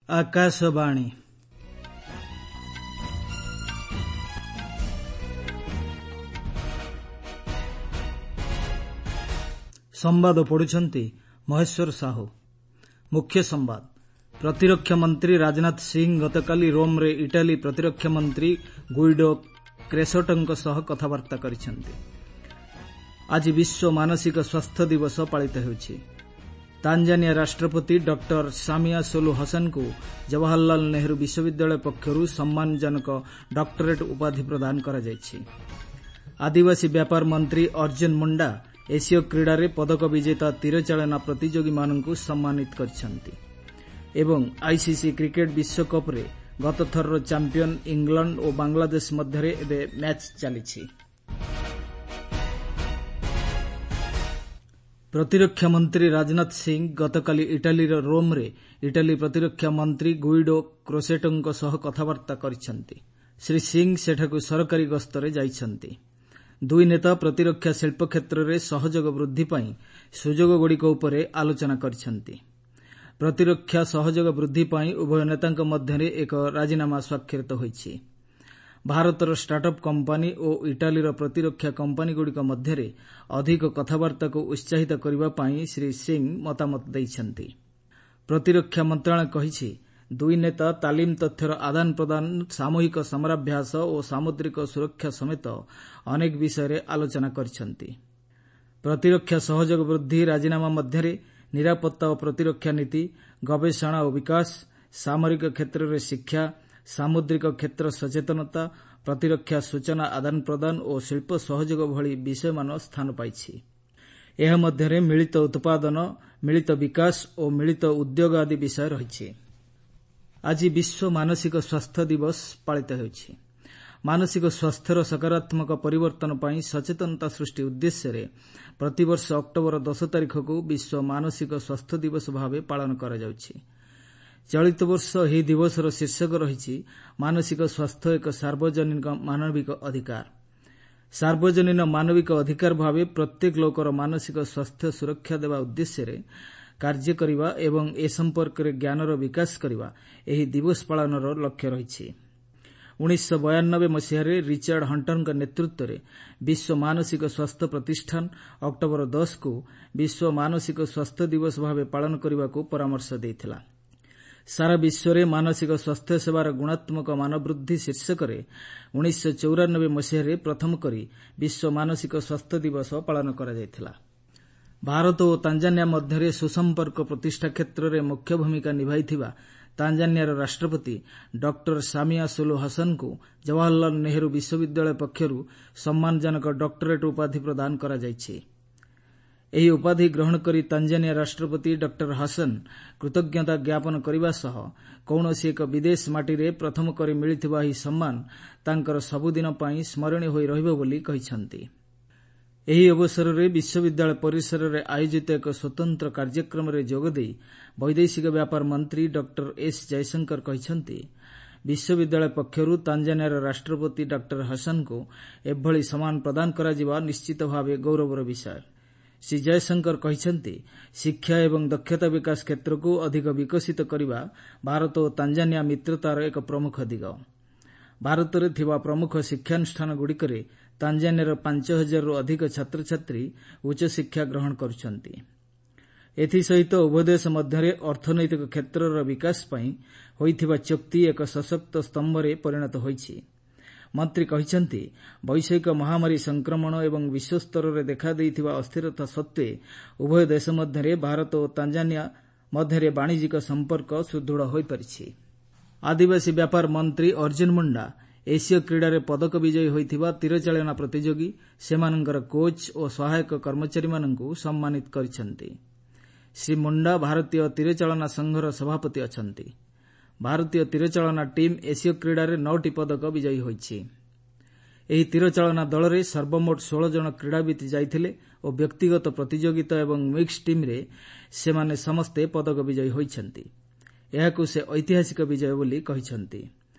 ଆକାଶବାଣୀ। ସମ୍ବାଦ ପଢୁଛନ୍ତି ମହେଶ୍ୱର ସାହୁ। ମୁଖ୍ୟ ସମ୍ବାଦ। ପ୍ରତିରକ୍ଷା ମନ୍ତ୍ରୀ ରାଜନାଥ ସିଂ ଗତକାଲି ରୋମ୍ରେ ଇଟାଲୀ ପ୍ରତିରକ୍ଷା ମନ୍ତ୍ରୀ ଗୁଇଡୋ କ୍ରେସୋଟୋଙ୍କ ସହ କଥାବାର୍ତ୍ତା କରିଛନ୍ତି। ଆଜି ବିଶ୍ୱ ମାନସିକ ସ୍ୱାସ୍ଥ୍ୟ ଦିବସ ପାଳିତ ହେଉଛି। ତାଞ୍ଜାନିଆ ରାଷ୍ଟ୍ରପତି ଡକ୍ଟର ସାମିଆ ସୋଲୁ ହସନଙ୍କୁ ଜବାହରଲାଲ ନେହେରୁ ବିଶ୍ୱବିଦ୍ୟାଳୟ ପକ୍ଷରୁ ସମ୍ମାନଜନକ ଡକ୍ଟରେଟ୍ ଉପାଧି ପ୍ରଦାନ କରାଯାଇଛି। ଆଦିବାସୀ ବ୍ୟାପାର ମନ୍ତ୍ରୀ ଅର୍ଜୁନ ମୁଣ୍ଡା ଏସୀୟ କ୍ରୀଡ଼ାରେ ପଦକ ବିଜେତା ତୀରଚାଳନା ପ୍ରତିଯୋଗୀମାନଙ୍କୁ ସମ୍ମାନିତ କରିଛନ୍ତି ଏବଂ ଆଇସିସି କ୍ରିକେଟ୍ ବିଶ୍ୱକପ୍ରେ ଗତଥରର ଚାମ୍ପିୟନ ଇଂଲଣ୍ଡ ଓ ବାଂଲାଦେଶ ମଧ୍ୟରେ ଏବେ ମ୍ୟାଚ୍ ଚାଲିଛି। ପ୍ରତିରକ୍ଷା ମନ୍ତ୍ରୀ ରାଜନାଥ ସିଂ ଗତକାଲି ଇଟାଲୀର ରୋମ୍ରେ ଇଟାଲୀ ପ୍ରତିରକ୍ଷା ମନ୍ତ୍ରୀ ଗୁଇଡୋ କ୍ରୋସେଟୋଙ୍କ ସହ କଥାବାର୍ତ୍ତା କରିଛନ୍ତି। ଶ୍ରୀ ସିଂ ସେଠାକୁ ସରକାରୀ ଗସ୍ତରେ ଯାଇଛନ୍ତି। ଦୁଇ ନେତା ପ୍ରତିରକ୍ଷା ଶିଳ୍ପ କ୍ଷେତ୍ରରେ ସହଯୋଗ ବୃଦ୍ଧି ପାଇଁ ସୁଯୋଗଗୁଡ଼ିକ ଉପରେ ଆଲୋଚନା କରିଛନ୍ତି। ପ୍ରତିରକ୍ଷା ସହଯୋଗ ବୃଦ୍ଧି ପାଇଁ ଉଭୟ ନେତାଙ୍କ ମଧ୍ୟରେ ଏକ ରାଜିନାମା ସ୍ୱାକ୍ଷରିତ ହୋଇଛି। ଭାରତର ଷ୍ଟାର୍ଟଅପ୍ କମ୍ପାନୀ ଓ ଇଟାଲୀର ପ୍ରତିରକ୍ଷା କମ୍ପାନୀଗୁଡ଼ିକ ମଧ୍ୟରେ ଅଧିକ କଥାବାର୍ତ୍ତାକୁ ଉତ୍ସାହିତ କରିବା ପାଇଁ ଶ୍ରୀ ସିଂ ମତାମତ ଦେଇଛନ୍ତି। ପ୍ରତିରକ୍ଷା ମନ୍ତ୍ରଣାଳୟ କହିଛି, ଦୁଇ ନେତା ତାଲିମ ତଥ୍ୟର ଆଦାନ ପ୍ରଦାନ, ସାମୂହିକ ସମରାଭ୍ୟାସ ଓ ସାମୁଦ୍ରିକ ସୁରକ୍ଷା ସମେତ ଅନେକ ବିଷୟରେ ଆଲୋଚନା କରିଛନ୍ତି। ପ୍ରତିରକ୍ଷା ସହଯୋଗ ବୃଦ୍ଧି ରାଜିନାମା ମଧ୍ୟରେ ନିରାପତ୍ତା ଓ ପ୍ରତିରକ୍ଷା ନୀତି, ଗବେଷଣା ଓ ବିକାଶ, ସାମରିକ କ୍ଷେତ୍ରରେ ଶିକ୍ଷା, ସାମୁଦ୍ରିକ କ୍ଷେତ୍ର ସଚେତନତା, ପ୍ରତିରକ୍ଷା ସୂଚନା ଆଦାନ ପ୍ରଦାନ ଓ ଶିଳ୍ପ ସହଯୋଗ ଭଳି ବିଷୟମାନ ସ୍ଥାନ ପାଇଛି। ଏହା ମଧ୍ୟରେ ମିଳିତ ଉତ୍ପାଦନ, ମିଳିତ ବିକାଶ ଓ ମିଳିତ ଉଦ୍ୟୋଗ ଆଦି ବିଷୟ ରହିଛି। ଆଜି ବିଶ୍ୱ ମାନସିକ ସ୍ୱାସ୍ଥ୍ୟ ଦିବସ ପାଳିତ ହେଉଛି। ମାନସିକ ସ୍ୱାସ୍ଥ୍ୟର ସକାରାତ୍ମକ ପରିବର୍ତ୍ତନ ପାଇଁ ସଚେତନତା ସୃଷ୍ଟି ଉଦ୍ଦେଶ୍ୟରେ ପ୍ରତିବର୍ଷ ଅକ୍ଟୋବର 10 ତାରିଖକୁ ବିଶ୍ୱ ମାନସିକ ସ୍ୱାସ୍ଥ୍ୟ ଦିବସ ଭାବେ ପାଳନ କରାଯାଉଛି। ଚଳିତ ବର୍ଷ ଏହି ଦିବସର ଶୀର୍ଷକ ରହିଛି ମାନସିକ ସ୍ୱାସ୍ଥ୍ୟ ଏକ ସାର୍ବଜନୀନ ମାନବିକ ଅଧିକାର। ସାର୍ବଜନୀନ ମାନବିକ ଅଧିକାର ଭାବେ ପ୍ରତ୍ୟେକ ଲୋକର ମାନସିକ ସ୍ୱାସ୍ଥ୍ୟ ସୁରକ୍ଷା ଦେବା ଉଦ୍ଦେଶ୍ୟରେ କାର୍ଯ୍ୟ କରିବା ଏବଂ ଏ ସମ୍ପର୍କରେ ଜ୍ଞାନର ବିକାଶ କରିବା ଏହି ଦିବସ ପାଳନର ଲକ୍ଷ୍ୟ ରହିଛି। 1992 ମସିହାରେ ରିଚାର୍ଡ ହଣ୍ଟରଙ୍କ ନେତୃତ୍ୱରେ ବିଶ୍ୱ ମାନସିକ ସ୍ୱାସ୍ଥ୍ୟ ପ୍ରତିଷ୍ଠାନ ଅକ୍ଟୋବର 10କୁ ବିଶ୍ୱ ମାନସିକ ସ୍ୱାସ୍ଥ୍ୟ ଦିବସ ଭାବେ ପାଳନ କରିବାକୁ ପରାମର୍ଶ ଦେଇଥିଲା। ସାରା ବିଶ୍ୱରେ ମାନସିକ ସ୍ୱାସ୍ଥ୍ୟ ସେବାର ଗୁଣାତ୍ମକ ମାନବୃଦ୍ଧି ଶୀର୍ଷକରେ 1994 ମସିହାରେ ପ୍ରଥମ କରି ବିଶ୍ୱ ମାନସିକ ସ୍ୱାସ୍ଥ୍ୟ ଦିବସ ପାଳନ କରାଯାଇଥିଲା। ଭାରତ ଓ ତାଞ୍ଜାନିଆ ମଧ୍ୟରେ ସୁସମ୍ପର୍କ ପ୍ରତିଷ୍ଠା କ୍ଷେତ୍ରରେ ମୁଖ୍ୟ ଭୂମିକା ନିଭାଇଥିବା ତାଞ୍ଜାନିଆର ରାଷ୍ଟ୍ରପତି ଡକ୍ଟର ସାମିଆ ସୁଲୁ ହସନଙ୍କୁ ଜବାହରଲାଲ ନେହେରୁ ବିଶ୍ୱବିଦ୍ୟାଳୟ ପକ୍ଷରୁ ସମ୍ମାନଜନକ ଡକ୍ଟରେଟ୍ ଉପାଧି ପ୍ରଦାନ କରାଯାଇଛି। ଏହି ଉପାଧି ଗ୍ରହଣ କରି ତାଞ୍ଜାନିଆ ରାଷ୍ଟ୍ରପତି ଡକ୍ଟର ହସନ କୃତଜ୍ଞତା ଜ୍ଞାପନ କରିବା ସହ କୌଣସି ଏକ ବିଦେଶ ମାଟିରେ ପ୍ରଥମ କରି ମିଳିଥିବା ଏହି ସମ୍ମାନ ତାଙ୍କର ସବୁଦିନ ପାଇଁ ସ୍ମରଣୀୟ ହୋଇ ରହିବ ବୋଲି କହିଛନ୍ତି। ଏହି ଅବସରରେ ବିଶ୍ୱବିଦ୍ୟାଳୟ ପରିସରରେ ଆୟୋଜିତ ଏକ ସ୍ୱତନ୍ତ୍ର କାର୍ଯ୍ୟକ୍ରମରେ ଯୋଗଦେଇ ବୈଦେଶିକ ବ୍ୟାପାର ମନ୍ତ୍ରୀ ଡକ୍ଟର ଏସ୍ ଜୟଶଙ୍କର କହିଛନ୍ତି, ବିଶ୍ୱବିଦ୍ୟାଳୟ ପକ୍ଷରୁ ତାଞ୍ଜାନିଆର ରାଷ୍ଟ୍ରପତି ଡକ୍ଟର ହସନଙ୍କୁ ଏଭଳି ସମ୍ମାନ ପ୍ରଦାନ କରାଯିବା ନିଶ୍ଚିତ ଭାବେ ଗୌରବର ବିଷୟ। ଶ୍ରୀ ଜୟଶଙ୍କର କହିଛନ୍ତି, ଶିକ୍ଷା ଏବଂ ଦକ୍ଷତା ବିକାଶ କ୍ଷେତ୍ରକୁ ଅଧିକ ବିକଶିତ କରିବା ଭାରତ ଓ ତାଞ୍ଜାନିଆ ମିତ୍ରତାର ଏକ ପ୍ରମୁଖ ଦିଗ। ଭାରତରେ ଥିବା ପ୍ରମୁଖ ଶିକ୍ଷାନୁଷ୍ଠାନଗୁଡ଼ିକରେ ତାଞ୍ଜାନିଆର 5 ହଜାରରୁ ଅଧିକ ଛାତ୍ରଛାତ୍ରୀ ଉଚ୍ଚଶିକ୍ଷା ଗ୍ରହଣ କରୁଛନ୍ତି। ଏଥିସହିତ ଉଭୟ ଦେଶ ମଧ୍ୟରେ ଅର୍ଥନୈତିକ କ୍ଷେତ୍ରର ବିକାଶ ପାଇଁ ହୋଇଥିବା ଚୁକ୍ତି ଏକ ସଶକ୍ତ ସ୍ତମ୍ଭରେ ପରିଣତ ହୋଇଛି। ମନ୍ତ୍ରୀ କହିଛନ୍ତି, ବୈଶ୍ୱିକ ମହାମାରୀ ସଂକ୍ରମଣ ଏବଂ ବିଶ୍ୱସ୍ତରରେ ଦେଖାଦେଇଥିବା ଅସ୍ଥିରତା ସତ୍ତ୍ୱେ ଉଭୟ ଦେଶ ମଧ୍ୟରେ ଭାରତ ଓ ତାଞ୍ଜାନିଆ ମଧ୍ୟରେ ବାଣିଜ୍ୟିକ ସମ୍ପର୍କ ସୁଦୃଢ଼ ହୋଇପାରିଛି। ଆଦିବାସୀ ବ୍ୟାପାର ମନ୍ତ୍ରୀ ଅର୍ଜୁନ ମୁଣ୍ଡା ଏସୀୟ କ୍ରୀଡ଼ାରେ ପଦକ ବିଜୟୀ ହୋଇଥିବା ତୀରଚାଳନା ପ୍ରତିଯୋଗୀ, ସେମାନଙ୍କର କୋଚ୍ ଓ ସହାୟକ କର୍ମଚାରୀମାନଙ୍କୁ ସମ୍ମାନିତ କରିଛନ୍ତି। ଶ୍ରୀ ମୁଣ୍ଡା ଭାରତୀୟ ତୀରଚାଳନା ସଂଘର ସଭାପତି ଅଛନ୍ତି। ଭାରତୀୟ ତୀରଚାଳନା ଟିମ୍ ଏସୀୟ କ୍ରୀଡ଼ାରେ ନଅଟି ପଦକ ବିଜୟୀ ହୋଇଛି। ଏହି ତୀରଚାଳନା ଦଳରେ ସର୍ବମୋଟ 16 ଜଣ କ୍ରୀଡ଼ାବିତ୍ ଯାଇଥିଲେ ଓ ବ୍ୟକ୍ତିଗତ ପ୍ରତିଯୋଗିତା ଏବଂ ମିକ୍ସଡ୍ ଟିମ୍ରେ ସେମାନେ ସମସ୍ତେ ପଦକ ବିଜୟୀ ହୋଇଛନ୍ତି। ଏହାକୁ ସେ ଐତିହାସିକ ବିଜୟ ବୋଲି କହିଛନ୍ତି।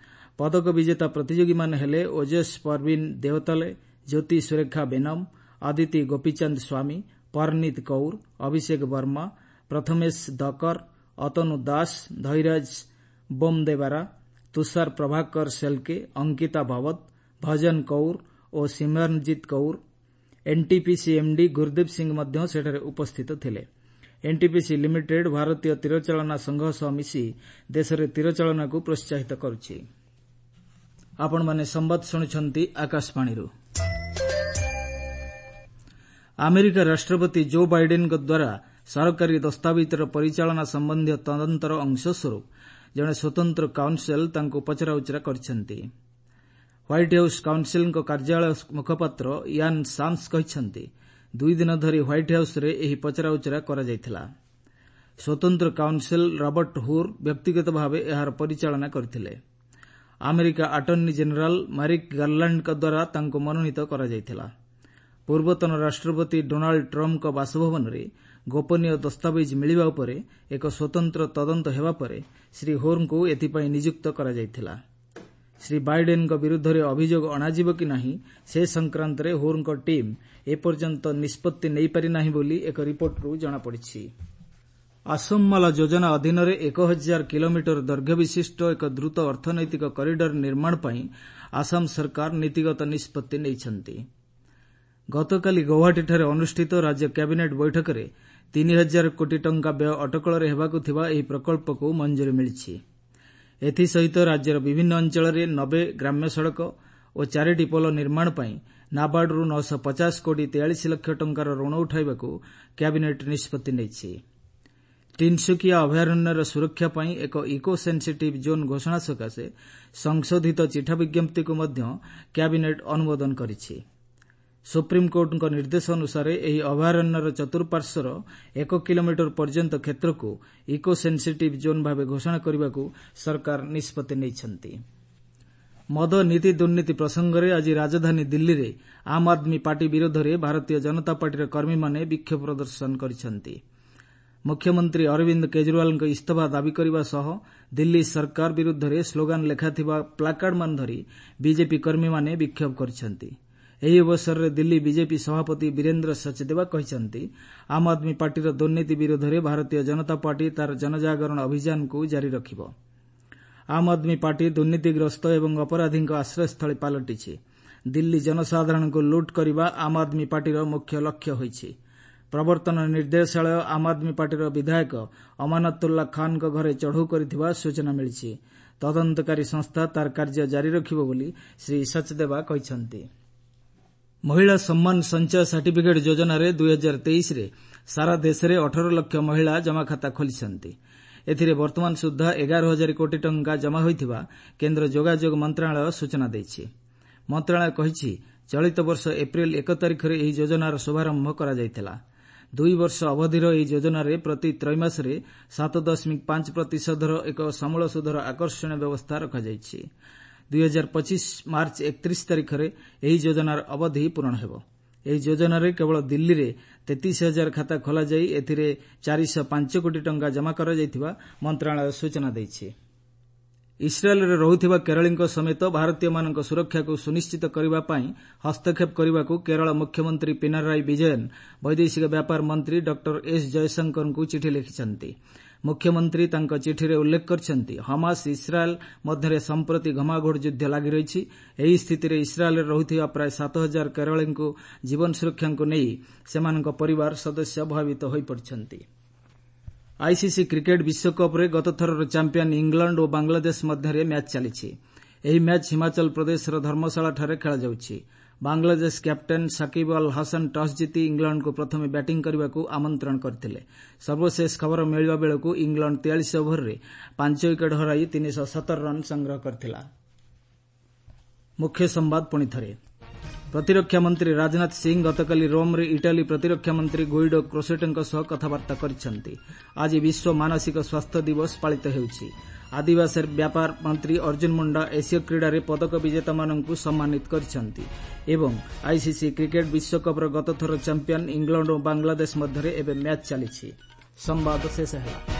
ପଦକ ବିଜେତା ପ୍ରତିଯୋଗୀମାନେ ହେଲେ ଓଜସ୍ ପରବୀନ ଦେଓତାଲେ, ଜ୍ୟୋତି ସୁରେଖା ବେନମ, ଅଦିତି ଗୋପୀଚାନ୍ଦ ସ୍ୱାମୀ, ପରନୀତ କୌର, ଅଭିଷେକ ବର୍ମା, ପ୍ରଥମେଶ ଦକର, ଅତନୁ ଦାସ, ଧୈରାଜ ବୋମଦେବାରା, ତୁଷାର ପ୍ରଭାକର ସେଲ୍କେ, ଅଙ୍କିତା ଭାବତ, ଭଜନ କୌର ଓ ସିମରନଜିତ୍ କୌର। ଏନ୍ଟିପିସି ଏମ୍ଡି ଗୁରଦୀପ ସିଂ ମଧ୍ୟ ସେଠାରେ ଉପସ୍ଥିତ ଥିଲେ। ଏନ୍ଟିପିସି ଲିମିଟେଡ୍ ଭାରତୀୟ ତୀରଚାଳନା ସଂଘ ସହ ମିଶି ଦେଶରେ ତୀରଚାଳନାକୁ ପ୍ରୋତ୍ସାହିତ କରୁଛି। ଆପଣମାନେ ସମ୍ବାଦ ଶୁଣୁଛନ୍ତି ଆକାଶବାଣୀରୁ। ଆମେରିକା ରାଷ୍ଟ୍ରପତି ଜୋ ବାଇଡେନ୍ଙ୍କ ଦ୍ୱାରା ସରକାରୀ ଦସ୍ତାବିଜ୍ର ପରିଚାଳନା ସମ୍ବନ୍ଧୀୟ ତଦନ୍ତର ଅଂଶସ୍ୱରୂପ ଜଣେ ସ୍ୱତନ୍ତ୍ର କାଉନ୍ସେଲ୍ ତାଙ୍କୁ ପଚରାଉଚରା କରିଛନ୍ତି। ହ୍ୱାଇଟ୍ ହାଉସ୍ କାଉନ୍ସେଲ୍ଙ୍କ କାର୍ଯ୍ୟାଳୟ ମୁଖପାତ୍ର ୟାନ୍ ସାମ୍ସ କହିଛନ୍ତି, 2 ଦିନ ଧରି ହ୍ୱାଇଟ୍ ହାଉସ୍ରେ ଏହି ପଚରାଉଚରା କରାଯାଇଥିଲା। ସ୍ୱତନ୍ତ୍ର କାଉନ୍ସେଲ୍ ରବର୍ଟ ହୁର୍ ବ୍ୟକ୍ତିଗତ ଭାବେ ଏହାର ପରିଚାଳନା କରିଥିଲେ। ଆମେରିକା ଆଟର୍ଣ୍ଣି ଜେନେରାଲ୍ ମାରିକ୍ ଗାର୍ଲାଣ୍ଡଙ୍କ ଦ୍ୱାରା ତାଙ୍କୁ ମନୋନୀତ କରାଯାଇଥିଲା। ପୂର୍ବତନ ରାଷ୍ଟ୍ରପତି ଡୋନାଲ୍ଡ ଟ୍ରମ୍ପଙ୍କ ବାସଭବନରେ ଗୋପନୀୟ ଦସ୍ତାବିଜ୍ ମିଳିବା ଉପରେ ଏକ ସ୍ୱତନ୍ତ୍ର ତଦନ୍ତ ହେବା ପରେ ଶ୍ରୀ ହୋର୍ଙ୍କୁ ଏଥିପାଇଁ ନିଯୁକ୍ତ କରାଯାଇଥିଲା। ଶ୍ରୀ ବାଇଡେନ୍ଙ୍କ ବିରୁଦ୍ଧରେ ଅଭିଯୋଗ ଅଣାଯିବ କି ନାହିଁ, ସେ ସଂକ୍ରାନ୍ତରେ ହୋର୍ଙ୍କ ଟିମ୍ ଏପର୍ଯ୍ୟନ୍ତ ନିଷ୍ପତ୍ତି ନେଇପାରି ନାହିଁ ବୋଲି ଏକ ରିପୋର୍ଟରୁ ଜଣାପଡ଼ିଛି। ଆସୋମମାଲା ଯୋଜନା ଅଧୀନରେ 1000 କିଲୋମିଟର ଦୈର୍ଘ୍ୟ ବିଶିଷ୍ଟ ଏକ ଦ୍ରୁତ ଅର୍ଥନୈତିକ କରିଡର ନିର୍ମାଣ ପାଇଁ ଆସାମ ସରକାର ନୀତିଗତ ନିଷ୍ପତ୍ତି ନେଇଛନ୍ତି। ଗତକାଲି ଗୌହାଟୀଠାରେ ଅନୁଷ୍ଠିତ ରାଜ୍ୟ କ୍ୟାବିନେଟ୍ ବୈଠକରେ 3000 କୋଟି ଟଙ୍କା ବ୍ୟୟ ଅଟକଳରେ ହେବାକୁ ଥିବା ଏହି ପ୍ରକଳ୍ପକୁ ମଞ୍ଜୁରୀ ମିଳିଛି। ଏଥିସହିତ ରାଜ୍ୟର ବିଭିନ୍ନ ଅଞ୍ଚଳରେ 90 ଗ୍ରାମ୍ୟ ସଡ଼କ ଓ ଚାରିଟି ପୋଲ ନିର୍ମାଣ ପାଇଁ ନାବାର୍ଡରୁ 950 କୋଟି 43 ଲକ୍ଷ ଟଙ୍କାର ଋଣ ଉଠାଇବାକୁ କ୍ୟାବିନେଟ୍ ନିଷ୍ପତ୍ତି ନେଇଛି। ତିନ୍ସୁକିଆ ଅଭୟାରଣ୍ୟର ସୁରକ୍ଷା ପାଇଁ ଏକ ଇକୋ ସେନ୍ସିଟିଭ୍ ଜୋନ୍ ଘୋଷଣା ସକାଶେ ସଂଶୋଧିତ ଚିଠା ବିଜ୍ଞପ୍ତିକୁ ମଧ୍ୟ କ୍ୟାବିନେଟ୍ ଅନୁମୋଦନ କରିଛି। ସୁପ୍ରିମକୋର୍ଟଙ୍କ ନିର୍ଦ୍ଦେଶ ଅନୁସାରେ ଏହି ଅଭୟାରଣ୍ୟର ଚତୁଃପାର୍ଶ୍ୱର 1 କିଲୋମିଟର ପର୍ଯ୍ୟନ୍ତ କ୍ଷେତ୍ରକୁ ଇକୋ ସେନ୍ସିଟିଭ୍ ଜୋନ୍ ଭାବେ ଘୋଷଣା କରିବାକୁ ସରକାର ନିଷ୍ପତ୍ତି ନେଇଛନ୍ତି। ମଦ ନୀତି ଦୁର୍ନୀତି ପ୍ରସଙ୍ଗରେ ଆଜି ରାଜଧାନୀ ଦିଲ୍ଲୀରେ ଆମ୍ ଆଦମୀ ପାର୍ଟି ବିରୋଧରେ ଭାରତୀୟ ଜନତା ପାର୍ଟିର କର୍ମୀମାନେ ବିକ୍ଷୋଭ ପ୍ରଦର୍ଶନ କରିଛନ୍ତି। ମୁଖ୍ୟମନ୍ତ୍ରୀ ଅରବିନ୍ଦ କେଜରିୱାଲଙ୍କ ଇସ୍ତଫା ଦାବି କରିବା ସହ ଦିଲ୍ଲୀ ସରକାର ବିରୁଦ୍ଧରେ ସ୍ଲୋଗାନ ଲେଖାଥିବା ପ୍ଲାକାର୍ଡମାନ ଧରି ବିଜେପି କର୍ମୀମାନେ ବିକ୍ଷୋଭ କରିଛନ୍ତି। ଏହି ଅବସରରେ ଦିଲ୍ଲୀ ବିଜେପି ସଭାପତି ବୀରେନ୍ଦ୍ର ସଚଦେବା କହିଛନ୍ତି, ଆମ୍ ଆଦମୀ ପାର୍ଟିର ଦୁର୍ନୀତି ବିରୋଧରେ ଭାରତୀୟ ଜନତା ପାର୍ଟି ତା'ର ଜନଜାଗରଣ ଅଭିଯାନକୁ ଜାରି ରଖିବ। ଆମ୍ ଆଦମୀ ପାର୍ଟି ଦୁର୍ନୀତିଗ୍ରସ୍ତ ଏବଂ ଅପରାଧୀଙ୍କ ଆଶ୍ରୟସ୍ଥଳୀ ପାଲଟିଛି। ଦିଲ୍ଲୀ ଜନସାଧାରଣଙ୍କୁ ଲୁଟ୍ କରିବା ଆମ୍ ଆଦମୀ ପାର୍ଟିର ମୁଖ୍ୟ ଲକ୍ଷ୍ୟ ହୋଇଛି। ପ୍ରବର୍ତ୍ତନ ନିର୍ଦ୍ଦେଶାଳୟ ଆମ୍ ଆଦମୀ ପାର୍ଟିର ବିଧାୟକ ଅମାନତୁଲ୍ଲା ଖାନ୍ଙ୍କ ଘରେ ଚଢ଼ଉ କରିଥିବା ସୂଚନା ମିଳିଛି। ତଦନ୍ତକାରୀ ସଂସ୍ଥା ତା'ର କାର୍ଯ୍ୟ ଜାରି ରଖିବ ବୋଲି ଶ୍ରୀ ସଚଦେବା କହିଛନ୍ତି। ମହିଳା ସମ୍ମାନ ସଞ୍ଚୟ ସାର୍ଟିଫିକେଟ୍ ଯୋଜନାରେ 2023ରେ ସାରା ଦେଶରେ 18 ଲକ୍ଷ ମହିଳା ଜମାଖାତା ଖୋଲିଛନ୍ତି। ଏଥିରେ ବର୍ତ୍ତମାନ ସୁଦ୍ଧା 11 ହଜାର କୋଟି ଟଙ୍କା ଜମା ହୋଇଥିବା କେନ୍ଦ୍ର ଯୋଗାଯୋଗ ମନ୍ତ୍ରଣାଳୟ ସୂଚନା ଦେଇଛି। ମନ୍ତ୍ରଣାଳୟ କହିଛି, ଚଳିତ ବର୍ଷ ଏପ୍ରିଲ 1 ତାରିଖରେ ଏହି ଯୋଜନାର ଶୁଭାରମ୍ଭ କରାଯାଇଥିଲା। 2 ବର୍ଷ ଅବଧିର ଏହି ଯୋଜନାରେ ପ୍ରତି ତ୍ରୈମାସରେ 7.5 ପ୍ରତିଶତର ଏକ ସମୂଳ ସୁଧର ଆକର୍ଷଣୀୟ ବ୍ୟବସ୍ଥା ରଖାଯାଇଛି। 2025 ମାର୍ଚ୍ଚ 31 ତାରିଖରେ ଏହି ଯୋଜନାର ଅବଧି ପୂରଣ ହେବ। ଏହି ଯୋଜନାରେ କେବଳ ଦିଲ୍ଲୀରେ 33 ହଜାର ଖାତା ଖୋଲାଯାଇ ଏଥିରେ 405 କୋଟି ଟଙ୍କା ଜମା କରାଯାଇଥିବା ମନ୍ତ୍ରଣାଳୟ ସୂଚନା ଦେଇଛି। ଇସ୍ରାଏଲ୍ରେ ରହୁଥିବା କେରଳୀଙ୍କ ସମେତ ଭାରତୀୟମାନଙ୍କ ସୁରକ୍ଷାକୁ ସୁନିଶ୍ଚିତ କରିବା ପାଇଁ ହସ୍ତକ୍ଷେପ କରିବାକୁ କେରଳ ମୁଖ୍ୟମନ୍ତ୍ରୀ ପିନାରାଇ ବିଜୟନ୍ ବୈଦେଶିକ ବ୍ୟାପାର ମନ୍ତ୍ରୀ ଡକ୍ଟର ଏସ୍ ଜୟଶଙ୍କରଙ୍କୁ ଚିଠି ଲେଖିଛନ୍ତି। ମୁଖ୍ୟମନ୍ତ୍ରୀ ତାଙ୍କ ଚିଠିରେ ଉଲ୍ଲେଖ କରିଛନ୍ତି, ହମାସ ଇସ୍ରାଏଲ୍ ମଧ୍ୟରେ ସମ୍ପ୍ରତି ଘମାଘୋଟ ଯୁଦ୍ଧ ଲାଗି ରହିଛି। ଏହି ସ୍ଥିତିରେ ଇସ୍ରାଏଲ୍ରେ ରହୁଥିବା ପ୍ରାୟ 7000 କେରଳୀଙ୍କ ଜୀବନ ସୁରକ୍ଷାକୁ ନେଇ ସେମାନଙ୍କ ପରିବାର ସଦସ୍ୟ ଭୟଭୀତ ହୋଇପଡ଼ିଛନ୍ତି। ଆଇସିସି କ୍ରିକେଟ୍ ବିଶ୍ୱକପ୍ରେ ଗତଥରର ଚାମ୍ପିୟନ୍ ଇଂଲଣ୍ଡ ଓ ବାଂଲାଦେଶ ମଧ୍ୟରେ ମ୍ୟାଚ୍ ଚାଲିଛି। ଏହି ମ୍ୟାଚ୍ ହିମାଚଳ ପ୍ରଦେଶର ଧର୍ମଶାଳାଠାରେ ଖେଳାଯାଉଛି। ବାଂଲାଦେଶ କ୍ୟାପ୍ଟେନ୍ ସାକିବ୍ ଅଲ୍ ହାସନ୍ ଟସ୍ ଜିତି ଇଂଲଣ୍ଡକୁ ପ୍ରଥମେ ବ୍ୟାଟିଂ କରିବାକୁ ଆମନ୍ତ୍ରଣ କରିଥିଲେ। ସର୍ବଶେଷ ଖବର ମିଳିବା ବେଳକୁ ଇଂଲଣ୍ଡ 43 ଓଭରରେ 5 ୱିକେଟ୍ ହରାଇ 317 ରନ୍ ସଂଗ୍ରହ କରିଥିଲା। ମୁଖ୍ୟ ସମ୍ବାଦ ପୁଣି ଥରେ। ପ୍ରତିରକ୍ଷା ମନ୍ତ୍ରୀ ରାଜନାଥ ସିଂ ଗତକାଲି ରୋମ୍ରେ ଇଟାଲୀ ପ୍ରତିରକ୍ଷା ମନ୍ତ୍ରୀ ଗୁଇଡୋ କ୍ରୋସେଟୋଙ୍କ ସହ କଥାବାର୍ତ୍ତା କରିଛନ୍ତି। ଆଜି ବିଶ୍ୱ ମାନସିକ ସ୍ୱାସ୍ଥ୍ୟ ଦିବସ ପାଳିତ ହେଉଛି। ଆଦିବାସୀ ବ୍ୟାପାର ମନ୍ତ୍ରୀ ଅର୍ଜୁନ ମୁଣ୍ଡା ଏସୀୟ କ୍ରୀଡ଼ାରେ ପଦକ ବିଜେତାମାନଙ୍କୁ ସମ୍ମାନିତ କରିଛନ୍ତି ଏବଂ ଆଇସିସି କ୍ରିକେଟ୍ ବିଶ୍ୱକପ୍ର ଗତଥର ଚାମ୍ପିୟନ୍ ଇଂଲଣ୍ଡ ଓ ବାଂଲାଦେଶ ମଧ୍ୟରେ ଏବେ ମ୍ୟାଚ୍ ଚାଲିଛି। ସମ୍ବାଦ ଶେଷ ହେଲା।